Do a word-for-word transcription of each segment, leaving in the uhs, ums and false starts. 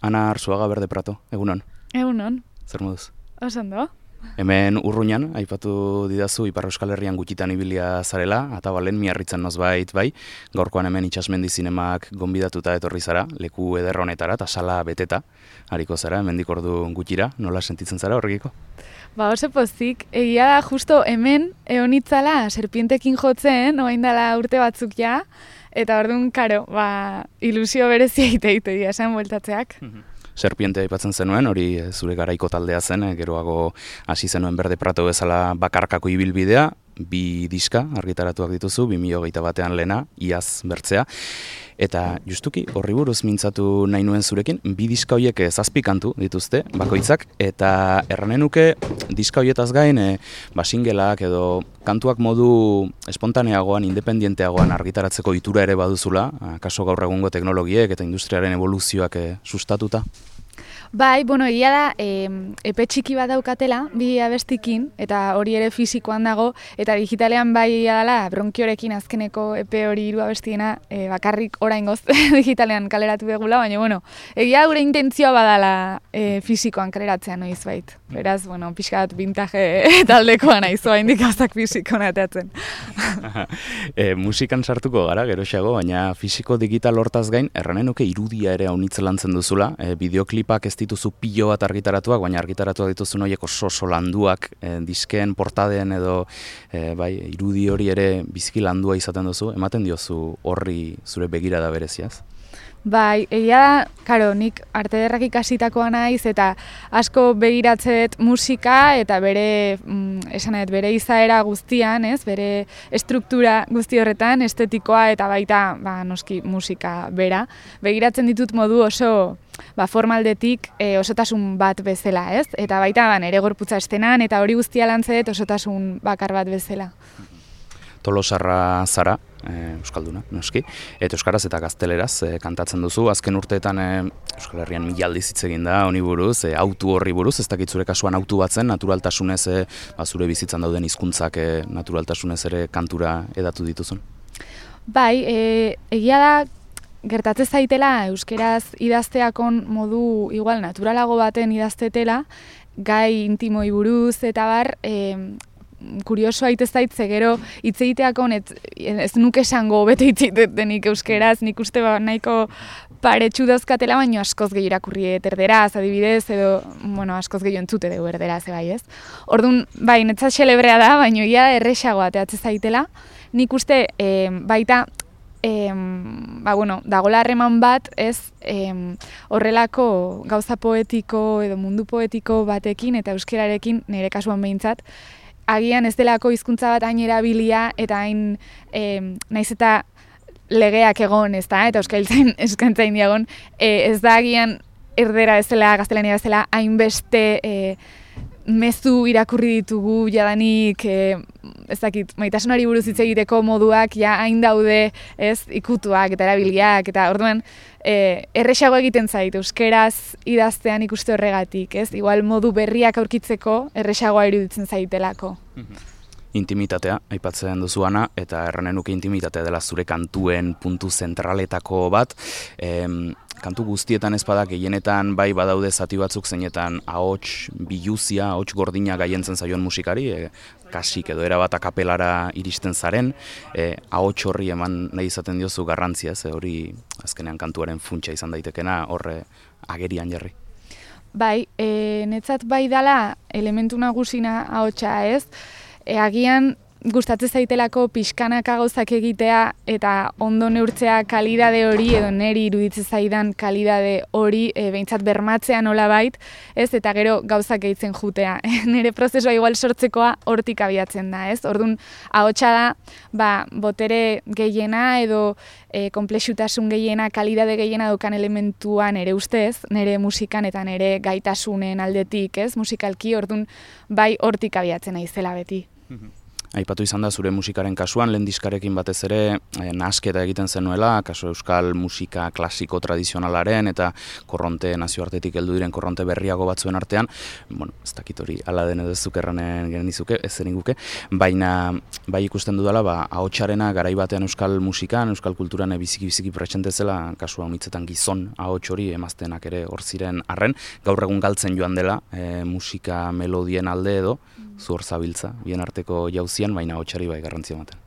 Ana Arzuaga Berde Prato, egunon. Egunon. Zer moduz? Oso ondo. Hemen Urruñan, aipatu didazu, Ipar Euskal Herrian gutxitan ibilia zarela, Atabalen, Miarritzen nozbait, bai, gaurkoan hemen Itsasmendi zinemak gonbidatuta etorri zara, leku eder honetara, eta sala beteta, hariko zara, hemendik ordu gutxira, nola sentitzen zara horrekiko? Ba, oso pozik, egia da justo hemen eonitzala serpientekin jotzen, oain dela urte batzuk ja, eta orduan, karo, ba, ilusio berezia ite-ite dira, esan bueltatzeak. Serpiente aipatzen zenuen, hori zure garaiko taldea zen, geroago hasi zenuen Berde Prato bezala bakarkako ibilbidea, bi diska argitaratuak dituzu, bi mila hogeita batean lehena, iaz bertzea. Eta justuki horri buruz mintzatu nahi nuen zurekin, bi diska horiek zazpi kantu dituzte, bakoitzak, eta erranen nuke diska horietaz gain, e, basingelak edo kantuak modu espontaneagoan, independienteagoan argitaratzeko itura ere baduzula, kaso gaur egungo teknologiek eta industriaren evoluzioak e, sustatuta. Bai, bueno, egia da, e, epe txiki bat daukatela, bi abestikin, eta hori ere fisikoan dago, eta digitalean bai dela, bronkiorekin azkeneko epe hori hiru abestiena, e, bakarrik oraingoz digitalean kaleratu begula, baina, bueno, egia gure intentzioa badala e, fisikoan kaleratzea noiz bait. Beraz, bueno, pixka bat bintaje taldekoa naiz, oain dikazak fisikoan ateatzen. e, musikan sartuko gara, geroxeago, baina fisiko digital hortaz gain, erranen nuke irudia ere haunitze lantzen duzula, e, bideoklipak ez dituzu pilo bat argitaratuak, baina argitaratuak dituzun horiek oso oso landuak, e, disken, portaden edo e, bai, irudi hori ere biziki landua izaten duzu, ematen diozu horri zure begirada bereziaz? Bai, egia da, karo, nik arte ederrak ikasitakoa naiz eta asko begiratzet musika eta bere, mm, esanet, bere izaera guztian, ez, bere estruktura guzti horretan, estetikoa eta baita, ba, noski, musika bera. Begiratzen ditut modu oso, ba, formaldetik e, osotasun bat bezala, ez? Eta baita, ba, nere gorputza estenan eta hori guztia lantzet osotasun bakar bat bezala. Tolosarra zara, e, euskalduna, noski, eta euskaraz eta gazteleraz e, kantatzen duzu. Azken urteetan e, Euskal Herrian mila aldiz hitz egin da honi buruz, e, autu horri buruz, ez dakit zure kasuan autu batzen, naturaltasunez, e, ba, zure bizitzan dauden hizkuntzak e, naturaltasunez ere kantura edatu dituzun. Bai, e, egia da, gertatzen zaitela euskeraz idazteakon modu igual naturalago baten idaztetela, gai intimoi buruz eta bar, e, kurioso aitez zaitze gero hitz egiteakon ez, ez nuke esango bete hitz egitenik euskeraz, nik uste ba, nahiko paretsu dauzkatela, baino askoz gehi irakurri erderaz, adibidez, edo, bueno, askoz gehi entzute dugu erderaz, bai ez. Orduan, bai, netzat xelebrea da, baino ia erresago ateatzen zaitela, nik uste e, baita, E, ba, bueno, dagoela harreman bat, ez, e, horrelako gauza poetiko edo mundu poetiko batekin eta euskerarekin, nire kasuan behintzat, agian ez delako hizkuntza bat hain erabilia eta hain, e, naiz eta legeak egon, ez da, eta euskaltzain eskaintzain diagon, e, ez da agian erdera bezala, gaztelania bezala, hainbeste e, mezu irakurri ditugu jadanik, e, ez dakit, maitasunari buruz hitz egiteko moduak ja hain daude, ez, ikutuak eta erabiliak, eta orduan e, erresago egiten zait, euskeraz idaztean ikuste horregatik, ez? Igual modu berriak aurkitzeko erresagoa iruditzen zaitelako. Intimitatea, aipatzen duzu Ana, eta erranen nuke intimitatea dela zure kantuen puntu zentraletako bat. Em, kantu guztietan ez bada gehienetan bai badaude zati batzuk zeinetan ahots biluzia, ahots gordina gaientzen zaion musikari, e, kasik edo erabat akapelara iristen zaren, e, ahots horri eman nahi izaten diozu garrantzia, ze hori azkenean kantuaren funtsa izan daitekena horre agerian jarri. Bai, e, netzat bai dala elementu nagusina ahotsa, ez? E, agian gustatzen zaitelako pixkanaka gauzak egitea eta ondo neurtzea kalidade hori edo neri iruditzen zaidan kalidade hori e, behintzat bermatzea nolabait, ez? Eta gero gauzak gehitzen jutea. Nire prozesua igual sortzekoa hortik abiatzen da, ez? Orduan, ahotsa da, ba, botere gehiena edo e, konplexutasun gehiena, kalidade gehiena daukan elementua nire ustez, nire musikan eta nire gaitasunen aldetik, ez? Musikalki, orduan, bai hortik abiatzen naizela beti. Aipatu izan da zure musikaren kasuan, lehen diskarekin batez ere eh, nahasketa egiten zenuela, kaso euskal musika klasiko tradizionalaren eta korronte nazioartetik heldu diren korronte berriago batzuen artean, bueno, ez dakit hori ala den edo zuk erranen genizuke, ez zen guke, baina bai ikusten dudala, ba, ahotsarena garai batean euskal musikan, euskal kulturan biziki-biziki presente zela, kasua honitzetan gizon ahots hori emaztenak ere hor ziren arren, gaur egun galtzen joan dela e, musika melodien alde edo, zu hor zabiltza, bien arteko jauzian, baina ahotsari bai garrantzia ematen.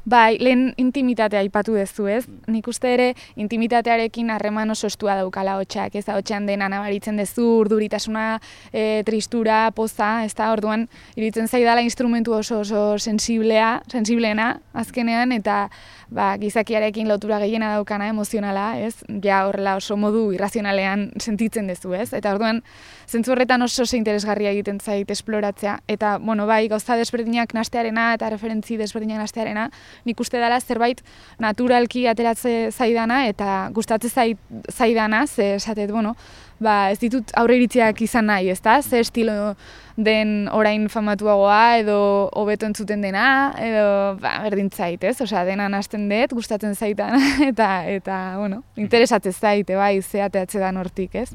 Bai, lehen intimitatea aipatu duzu, ez? Nik uste ere intimitatearekin harreman oso estua daukala ahotsak, ez? Ahotsean dena nabaritzen duzu, urduritasuna, e, tristura, poza, ez da, orduan iruditzen zaidala instrumentu oso oso sensiblea, sensibleena azkenean, eta ba, gizakiarekin lotura gehiena daukana emozionala, ez? Ja horrela oso modu irrazionalean sentitzen duzu, ez? Eta orduan zentzu horretan oso oso interesgarria egiten zait esploratzea, eta bueno, bai, gauza desberdinak nastearena eta referentzi desberdinak nastearena, nik uste dela zerbait naturalki ateratze zaidana eta gustatzen zait, zaidana, ze esatet, bueno, ba, ez ditut aurre iritziak izan nahi, ezta? Ze estilo den orain famatuagoa edo hobeto entzuten dena, edo ba, berdin zait, ez? Osea, dena nahasten dut, gustatzen zaitan eta eta bueno, interesatzen zaite bai, ze ateratze dan hortik, ez?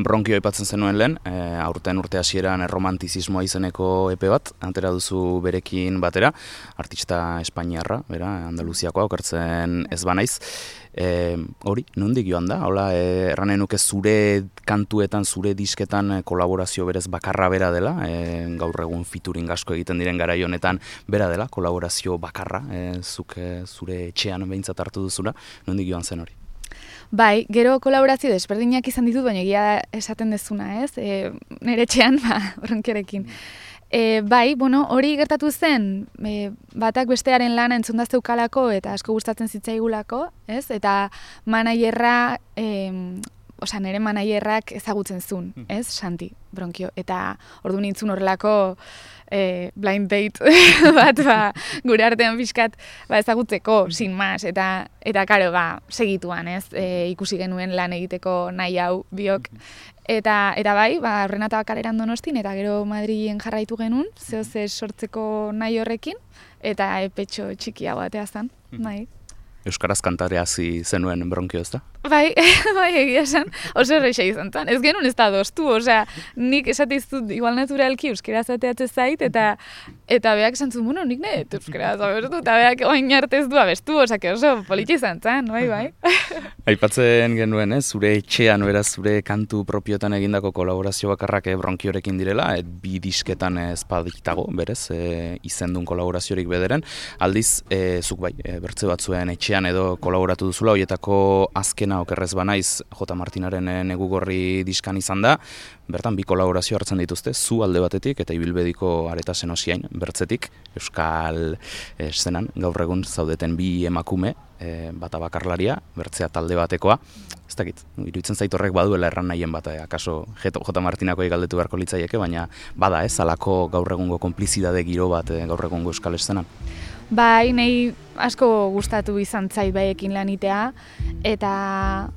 Bronkio aipatzen zenuen lehen, e, aurten urte hasieran erromantizismoa izeneko epe bat, antera duzu berekin batera, artista espainiarra, bera, Andaluziakoa, okertzen ez banaiz. E, hori, nondik joan da? Hola, e, erranen nuke zure kantuetan, zure disketan e, kolaborazio berez bakarra bera dela, e, gaur egun featuring asko egiten diren garai honetan bera dela, kolaborazio bakarra, e, zuk e, zure etxean behintzat hartu duzula, nondik joan zen hori? Bai, gero kolaborazio desberdinak izan ditut, baina egia esaten dezuna, ez? E, nire etxean, ba, Bronkiorekin. E, bai, bueno, hori gertatu zen, e, batak bestearen lana entzundazteukalako eta asko gustatzen zitzaigulako, ez? Eta manaierra, e, osea, nire manaierrak ezagutzen zuen, ez? Santi, Bronkio. Eta ordu nintzun horrelako e, blind date bat, ba, gure artean pixkat ba, ezagutzeko, sin mas, eta, eta karo, ba, segituan, ez? E, ikusi genuen lan egiteko nahi hau biok. Eta, eta bai, ba, horren eta kaleran Donostin, eta gero Madrilen jarraitu genuen, zehoze sortzeko nahi horrekin, eta epetxo txikia batea zen, bai. Euskaraz kantare hasi zenuen Bronkio, ez da? Bai, bai, egia esan, oso erreixa izan zen. Ez genuen ez da doztu, osea, nik esatiztut igual naturalki euskaraz ateatze zait, eta eta beak esan zuen, bueno, nik ne, euskaraz abestu, eta beak oin arte ez du abestu, osea, oso politxe izan zen, bai, bai. Aipatzen genuen, eh, zure etxean, beraz, zure kantu propiotan egindako kolaborazio bakarrak eh, Bronkiorekin direla, eh, bi disketan ez baditago, berez, eh, izendun kolaboraziorik bederen, aldiz, eh, zuk bai, eh, bertze batzuen etxean edo kolaboratu duzula, horietako azken okerrez banaiz J. Martinaren negu gorri diskan izan da, bertan bi kolaborazio hartzen dituzte, zu alde batetik eta ibilbediko Areta Senosiain bertzetik, euskal eszenan, gaur egun zaudeten bi emakume, e, bata bakarlaria, bertzea talde batekoa, ez dakit, iruditzen zait horrek baduela erran nahien bat, akaso J. Martinako galdetu beharko litzaieke, baina bada ez, alako gaur egungo konplizidade giro bat e, gaur egungo euskal eszenan. Bai, nahi asko gustatu izan zait baiekin lanitea, eta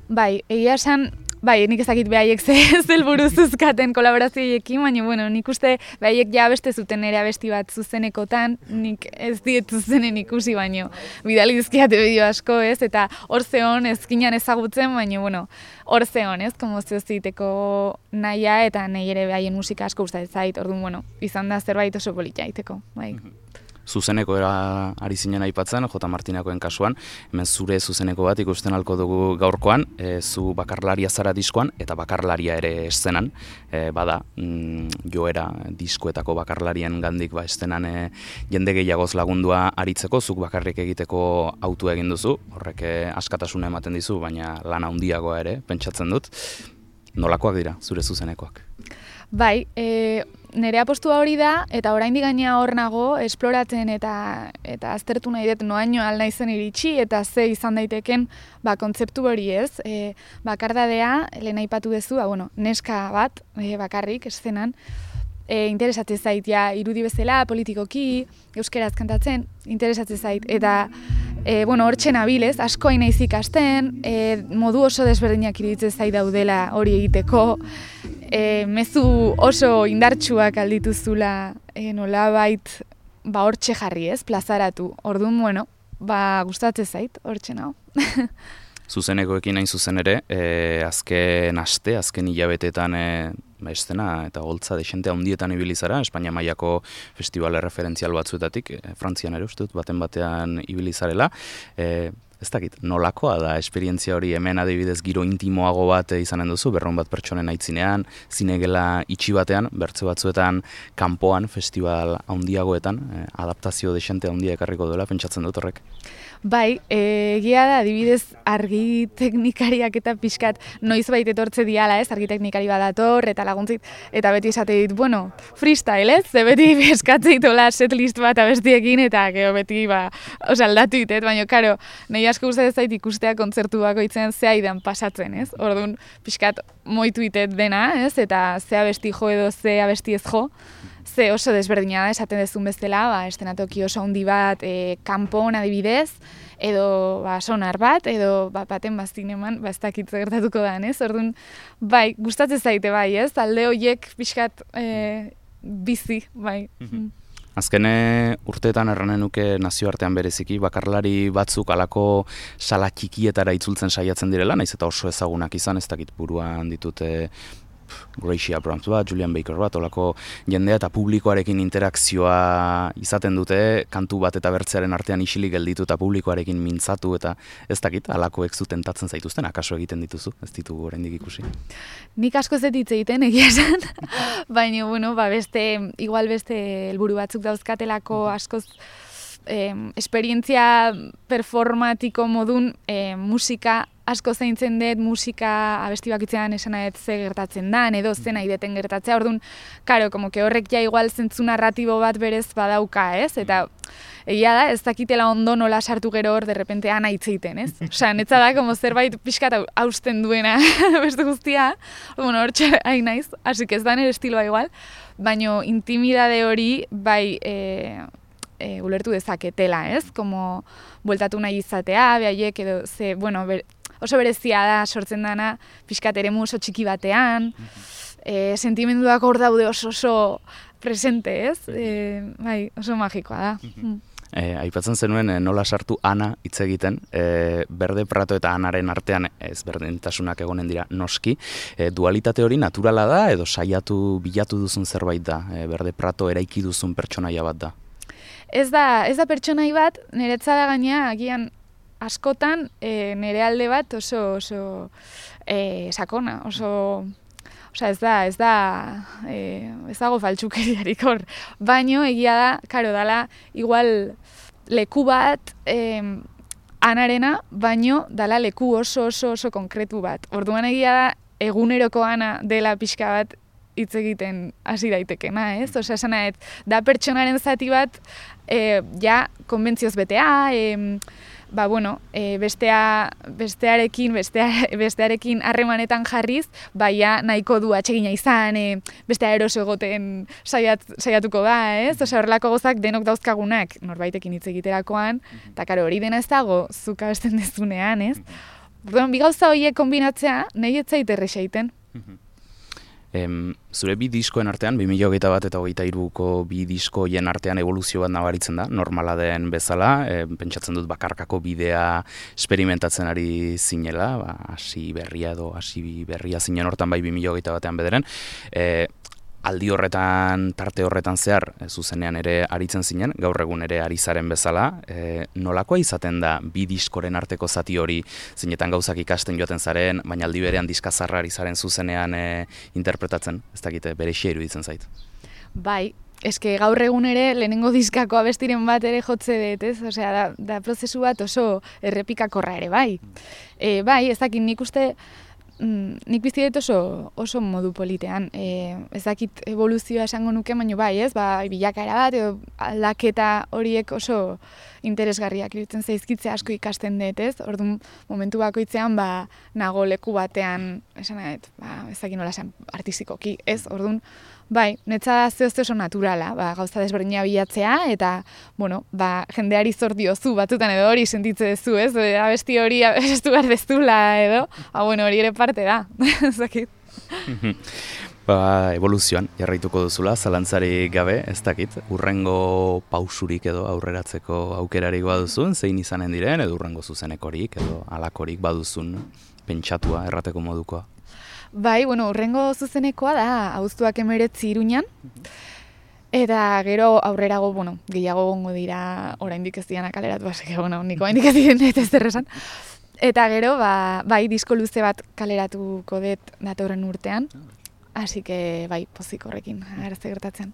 bai, egia esan, bai, nik ezakit behaiek ze zelburu zuzkaten kolaborazioekin, baina, bueno, nik uste behaiek ja beste zuten ere abesti bat zuzenekotan, nik ez diet zuzenen ikusi, baina bidali dizkiate bideo asko, ez, eta hor zeon ezkinan ezagutzen, baina, bueno, hor zeon, ez, komozio ziteko nahia, eta nahi ere behaien musika asko gustatzen zait, orduan, bueno, izan da zerbait oso politia iteko, bai. Zuzeneko era ari zinen aipatzen, J. Martinakoen kasuan, hemen zure zuzeneko bat ikusten halko dugu gaurkoan, e, zu bakarlaria zara diskoan, eta bakarlaria ere eszenan, e, bada, mm, joera diskoetako bakarlarien gandik ba, eszenan e, jende gehiagoz lagundua aritzeko, zuk bakarrik egiteko autua egin duzu, horrek e, askatasuna ematen dizu, baina lana handiagoa ere, pentsatzen dut. Nolakoak dira, zure zuzenekoak? Bai, e, nire apostua hori da, eta oraindik gaina hor nago, esploratzen eta eta aztertu nahi dut noaino alna izen iritsi, eta ze izan daiteken ba, kontzeptu hori ez. E, bakardadea, lehen aipatu duzu, ba, bueno, neska bat, e, bakarrik, eszenan, e, interesatzen zait, ja, irudi bezala, politikoki, euskeraz kantatzen, interesatzen zait, eta e, bueno, hortxe nabilez, asko hain naiz ikasten, e, modu oso desberdinak iruditzen zait daudela hori egiteko, e, mezu oso indartsuak aldituzula e, nolabait ba hortxe jarri, ez, plazaratu. Orduan, bueno, ba gustatzen zait, hortxe nago. Zuzenekoekin hain zuzen ere, e, azken aste, azken hilabeteetan e, ba, estena eta holtza desente handietan ibili zara, Espainia mailako festival referentzial batzuetatik, e, Frantzian ere uste dut, baten batean ibili zarela. E, ez dakit, nolakoa da esperientzia hori, hemen adibidez giro intimoago bat izanen duzu, berrehun bat pertsonen aitzinean, zinegela itxi batean, bertze batzuetan kanpoan, festival handiagoetan, e, adaptazio desente handia ekarriko duela, pentsatzen dut horrek. Bai, egia da, adibidez, argi teknikariak eta pixkat noiz baita etortze diala, ez, argi teknikari badator, eta laguntzit, eta beti esate dit, bueno, freestyle, ez, ze beti eskatzeit hola setlist bat abestiekin, eta gero beti, ba, oza, aldatu ditet, baina, karo, nahi asko gustatzen zait ikustea kontzertu bakoitzen zea idan pasatzen, ez, orduan, pixkat moitu ditet dena, ez, eta ze abesti jo edo ze abesti ez jo, ze oso desberdina da, esaten dezun bezala, ba, estenatoki oso handi bat, e, kanpon adibidez, edo ba, sonar bat, edo ba, baten bazineman, ba, ez dakitze gertatuko da, ez? Orduan, bai, gustatzen zaite bai, ez? Alde horiek pixkat e, bizi, bai. Mm. Azkene urteetan erranen nuke nazioartean bereziki, bakarlari batzuk alako sala txikietara itzultzen saiatzen direla, naiz eta oso ezagunak izan, ez dakit buruan ditute Gracie Abrams bat, Julian Baker bat, olako jendea eta publikoarekin interakzioa izaten dute, kantu bat eta bertzearen artean isilik gelditu eta publikoarekin mintzatu eta ez dakit, alakoek zu tentatzen zaituzten, akaso egiten dituzu, ez ditugu oraindik ikusi. Nik asko ez hitz egiten egia esan, baina, bueno, ba beste, igual beste helburu batzuk dauzkatelako askoz eh, esperientzia performatiko modun eh, musika asko zaintzen dut, musika abesti bakitzean esan nahet ze gertatzen dan, edo ze nahi deten gertatzea, orduan, karo, como que horrek ja igual zentzu narratibo bat berez badauka, ez? Eta egia da, ez dakitela ondo nola sartu gero hor, derrepente ana hitzeiten, ez? Osa, netza da, como zerbait pixkat hausten duena beste guztia, bueno, hor hain naiz, asik ez da nire estiloa igual, baino intimidade hori, bai, e, e, ulertu dezaketela, ez? Como bueltatu nahi izatea, behaiek, edo, ze, bueno, ber, oso berezia da sortzen dana pixkat eremu oso txiki batean, e, sentimenduak hor daude oso oso presente, ez? E, bai, oso magikoa da. E, aipatzen zenuen e, nola sartu Ana hitz egiten, e, Berde Prato eta Anaren artean ez berdintasunak egonen dira noski. E, dualitate hori naturala da edo saiatu bilatu duzun zerbait da, e, Berde Prato eraiki duzun pertsonaia bat da? Ez da, ez da pertsonai bat, niretza da gaina agian askotan e, nire alde bat oso oso e, sakona, oso osea ez da, ez da e, ez dago faltsukeriarik hor, baino egia da, karo dala igual leku bat e, Anarena, baino dala leku oso oso oso konkretu bat. Orduan egia da eguneroko Ana dela pixka bat hitz egiten hasi daitekena, ez? Osea, esan da pertsonaren zati bat e, ja konbentzioz betea, e, ba, bueno, e, bestea, bestearekin, bestea, bestearekin harremanetan jarriz, baina nahiko du atsegina izan, e, bestea eroso egoten saiat, saiatuko da, ez? Osea, horrelako gozak denok dauzkagunak, norbaitekin hitz egiterakoan, eta karo, hori dena ez dago, zuk abesten dezunean, ez? Orduan, bi gauza horiek kombinatzea, nahi ez zait erresa egiten. Em, zure bi diskoen artean, bi mila hogeita bat eta hogeita hiruko bi diskoien artean evoluzio bat nabaritzen da, normala den bezala, e, pentsatzen dut bakarkako bidea esperimentatzen ari zinela, ba, hasi berria edo hasi berria zinen hortan bai bi mila hogeita batean bederen, e, aldi horretan, tarte horretan zehar, e, zuzenean ere aritzen zinen, gaur egun ere ari zaren bezala, e, nolakoa izaten da bi diskoren arteko zati hori, zinetan gauzak ikasten joaten zaren, baina aldi berean diskazarra ari zaren zuzenean e, interpretatzen, ez dakite berexia iruditzen zait. Bai, eske gaur egun ere lehenengo diskako abestiren bat ere jotze dut, ez? Osea, da, da prozesu bat oso errepikakorra ere, bai. E, bai, ez dakit nik uste, Mm, nik bizi dut oso, oso modu politean. E, ez dakit evoluzioa esango nuke, baina bai, ez? Ba, bilakaera bat, edo aldaketa horiek oso interesgarriak iruditzen zaizkitze asko ikasten dut, ez? Orduan, momentu bakoitzean, ba, nago leku batean, esan nahet, ba, ez dakit nola esan artistikoki, ez? Orduan, bai, netza zehozte oso naturala, ba, gauza desberdina bilatzea, eta, bueno, ba, jendeari zor diozu, batzutan edo hori sentitze dezu, ez? Abesti hori abestu behar dezula, edo, ba, bueno, hori ere parte da, ez dakit. Ba, evoluzioan jarraituko duzula, zalantzari gabe, ez dakit, urrengo pausurik edo aurreratzeko aukerarik baduzun, zein izanen diren, edo urrengo zuzenekorik, edo alakorik baduzun, pentsatua, errateko modukoa. Bai, bueno, urrengo zuzenekoa da, abuztuak hemeretzi Iruñan, eta gero aurrerago, bueno, gehiago gongo dira, oraindik ez dianak kaleratu, basek, bueno, niko oraindik ez diren ez zer esan. Eta gero, ba, bai, disko luze bat kaleratuko dut datorren urtean, así que, bai, pozik horrekin, agertze gertatzen.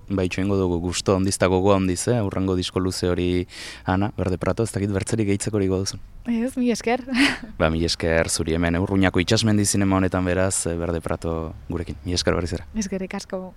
Bai, txoengo dugu gusto ondizta gogoa ondiz, eh? Urrengo disko luze hori, Ana, Berde Prato, ez dakit bertzerik gehitzeko hori goduzun. Ez, mi esker. Ba, mi esker zuri hemen, Urruñako itxasmendi zinema honetan beraz, Berde Prato gurekin. Mi esker berriz era. Eskerrik asko.